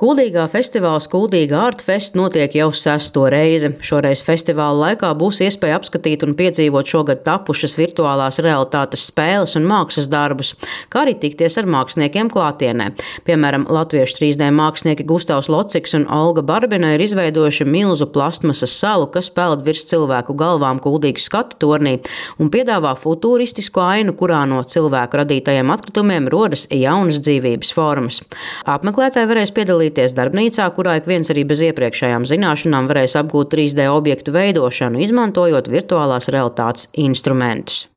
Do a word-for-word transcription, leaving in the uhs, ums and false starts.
Kuldīgā festivāls Kuldīga Artfest notiek jau sesto reizi. Šoreiz festivāla laikā būs iespēja apskatīt un piedzīvot šogad tapušas virtuālās realitātes spēles un mākslas darbus, kā arī tikties ar māksliniekiem klātienē. Piemēram, latviešu trīs D mākslinieki Gustavs Lociks un Olga Barbina ir izveidojuši milzu plastmasas salu, kas peld virs cilvēku galvām Kuldīgas skatu tornī un piedāvā futuristisku ainu, kurā no cilvēku radītajiem atkritumiem rodas jaunas dzīvības formas. Apmeklētāji varēs piedalīties darbnīcā, kurā ik viens arī bez iepriekšējām zināšanām varēs apgūt trīs D objektu veidošanu, izmantojot virtuālās realitātes instrumentus.